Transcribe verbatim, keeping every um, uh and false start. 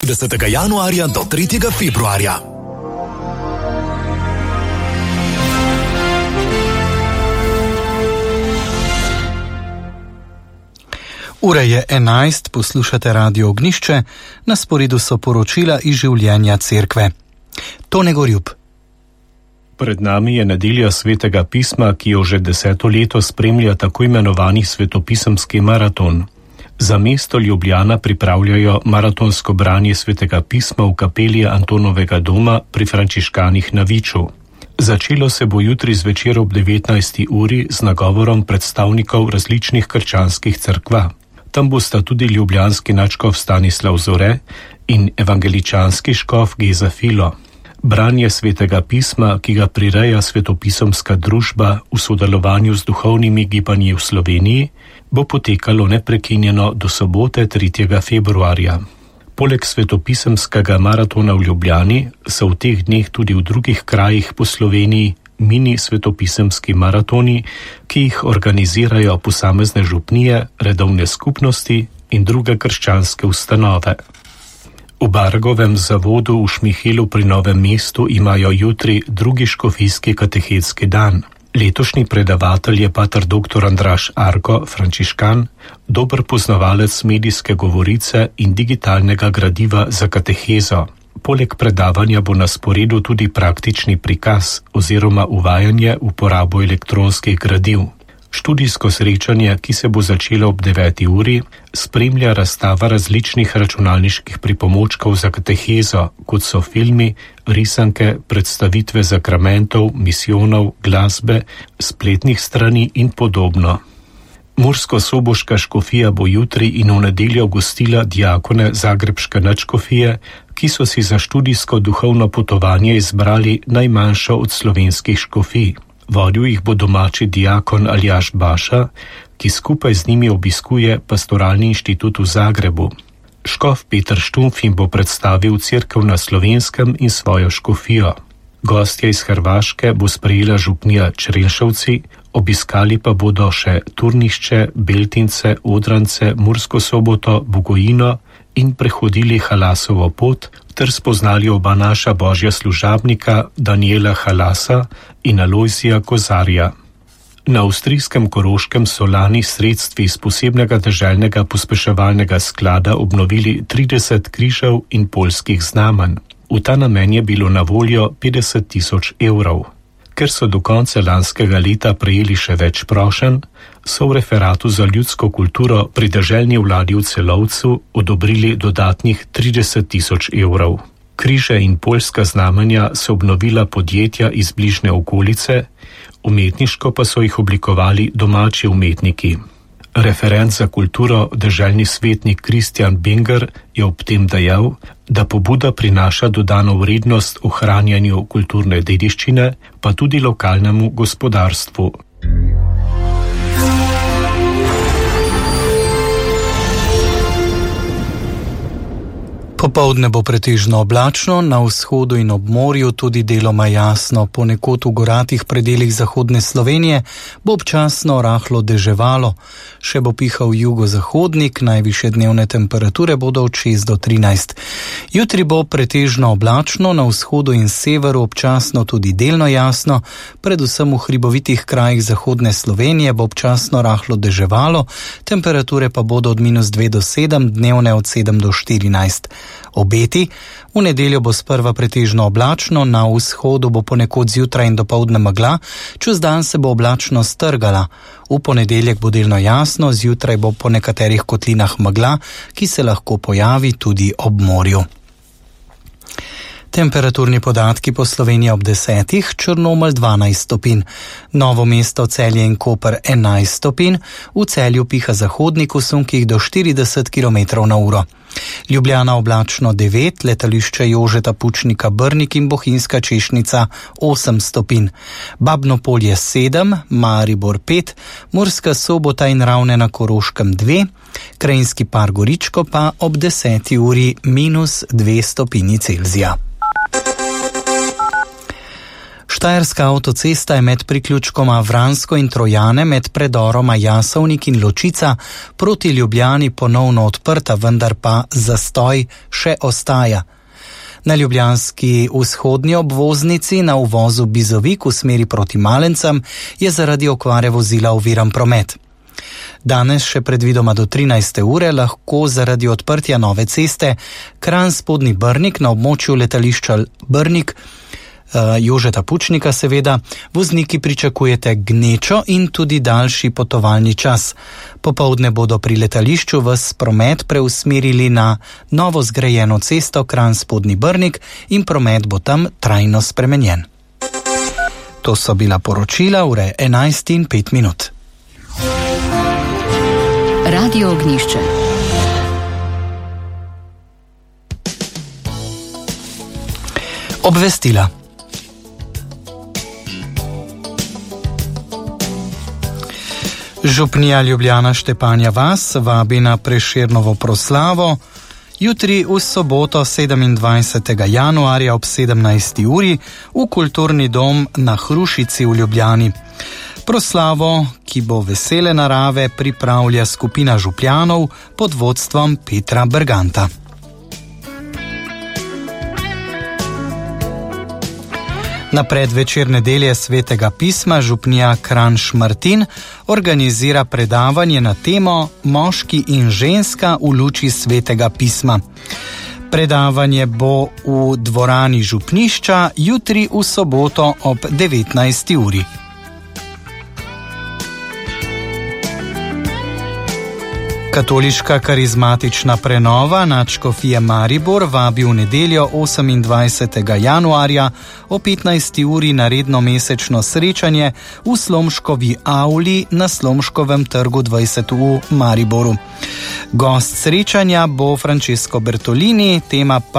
desetega januarja do tretjega februarja. Ura je enajst, poslušate Radio Ognjišče, na sporedu so poročila iz življenja cerkve. Tone Gorjup. Pred nami je nedelja svetega pisma, ki jo že deseto leto spremlja tako imenovani svetopisemski maraton. Za mesto Ljubljana pripravljajo maratonsko branje svetega pisma v kapeli Antonovega doma pri frančiškanih na Viču. Začelo se bo jutri zvečer ob devetnajsti uri z nagovorom predstavnikov različnih krščanskih cerkva. Tam bosta tudi ljubljanski nadškof Stanislav Zore in evangeličanski škof Geza Filo. Branje svetega pisma, ki ga prireja svetopisemska družba v sodelovanju z duhovnimi gibanji v Sloveniji, bo potekalo neprekinjeno do sobote tretjega februarja. Poleg svetopisemskega maratona v Ljubljani so v teh dneh tudi v drugih krajih po Sloveniji mini svetopisemski maratoni, ki jih organizirajo posamezne župnije, redovne skupnosti in druge krščanske ustanove. V Bargovem zavodu v Šmihelu pri Novem mestu imajo jutri drugi škofijski katehetski dan. Letošnji predavatelj je pater doktor Andraž Arko, frančiškan, dober poznavalec medijske govorice in digitalnega gradiva za katehezo. Poleg predavanja bo na sporedu tudi praktični prikaz oziroma uvajanje v uporabo elektronskih gradiv. Študijsko srečanje, ki se bo začelo ob deveti uri, spremlja razstava različnih računalniških pripomočkov za katehezo, kot so filmi, risanke, predstavitve zakramentov, misijonov, glasbe, spletnih strani in podobno. Mursko-soboška škofija bo jutri in v nedeljo gostila diakone zagrebške nadškofije, ki so si za študijsko duhovno potovanje izbrali najmanjšo od slovenskih škofij. Vodil jih bo domači diakon Aljaž Baša, ki skupaj z njimi obiskuje Pastoralni inštitut v Zagrebu. Škof Peter Štumf jim bo predstavil cerkev na Slovenskem in svojo škofijo. Gostje iz Hrvaške bo sprejela župnija Črenšovci, obiskali pa bodo še Turnišče, Beltince, Odrancce, Mursko Soboto, Bugojino in prehodili Halasovo pot, ter spoznali oba naša božja služabnika Daniela Halasa in Alojzija Kozarja. Na avstrijskem Koroškem so lani sredstvi iz posebnega deželnega pospeševalnega sklada obnovili trideset križev in poljskih znamenj. V ta namen je bilo na voljo petdeset tisoč evrov. Ker so do konca lanskega leta prejeli še več prošenj, so v referatu za ljudsko kulturo pri deželni vladi v Celovcu odobrili dodatnih trideset tisoč evrov. Križe in poljska znamenja so obnovila podjetja iz bližnje okolice, umetniško pa so jih oblikovali domači umetniki. Referent za kulturo, deželni svetnik Kristjan Binger, je ob tem dejal, da pobuda prinaša dodano vrednost ohranjanju kulturne dediščine, pa tudi lokalnemu gospodarstvu. Popoldne bo pretežno oblačno, na vzhodu in ob morju tudi deloma jasno, ponekod v goratih predelih zahodne Slovenije bo občasno rahlo deževalo, še bo pihal jugozahodnik, najvišje dnevne temperature bodo od šest do trinajst. Jutri bo pretežno oblačno, na vzhodu in severu občasno tudi delno jasno, predvsem v hribovitih krajih zahodne Slovenije bo občasno rahlo deževalo, temperature pa bodo od minus dve do sedem, dnevne od sedem do štirinajst. Obeti. V nedeljo bo sprva pretežno oblačno, na vzhodu bo ponekod zjutraj in dopoldne megla, čez dan se bo oblačno strgala. V ponedeljek bo delno jasno, zjutraj bo po nekaterih kotlinah megla, ki se lahko pojavi tudi ob morju. Temperaturni podatki po Sloveniji ob desetih, Črnomelj dvanajst stopinj, Novo mesto, Celje in Koper enajst stopinj, v Celju piha zahodnik v sunkih do štirideset kilometrov na uro. Ljubljana oblačno devet, letališče Jožeta Pučnika Brnik in Bohinjska Češnica osem stopinj, Babno Polje sedem, Maribor pet, Murska Sobota in Ravne na Koroškem dve, Krajinski par Goričko pa ob deseti uri minus dve stopinji Celzija. Štajerska avtocesta je med priključkoma Vransko in Trojane med predoroma Jasovnik in Ločica proti Ljubljani ponovno odprta, vendar pa zastoj še ostaja. Na ljubljanski vzhodnji obvoznici na uvozu Bizovik v smeri proti Malencem je zaradi okvare vozila oviran promet. Danes še predvidoma do trinajste ure lahko zaradi odprtja nove ceste Kranj Spodnji Brnik na območju letališča Brnik, Jožeta Pučnika seveda, vozniki pričakujete gnečo in tudi daljši potovalni čas. Popoldne bodo pri letališču ves promet preusmerili na novo zgrajeno cesto Kranj Spodnji Brnik in promet bo tam trajno spremenjen. To so bila poročila ure enajst in pet minut. Radio Ognjišče. Obvestila. Župnija Ljubljana Štepanja Vas vabi na Prešernovo proslavo jutri v soboto sedemindvajsetega januarja ob sedemnajsti uri v Kulturni dom na Hrušici v Ljubljani. Proslavo, ki bo vesele narave, pripravlja skupina župljanov pod vodstvom Petra Berganta. Na predvečer nedelje Svetega pisma župnija Kranj-Šmartin organizira predavanje na temo Moški in ženska v luči Svetega pisma. Predavanje bo v dvorani župnišča jutri v soboto ob devetnajsti uri. Katoliška karizmatična prenova nadškofije Maribor vabi v nedeljo osemindvajsetega januarja o petnajsti uri na redno mesečno srečanje v Slomškovi avli na Slomškovem trgu dvajset v Mariboru. Gost srečanja bo Francesco Bertolini, tema pa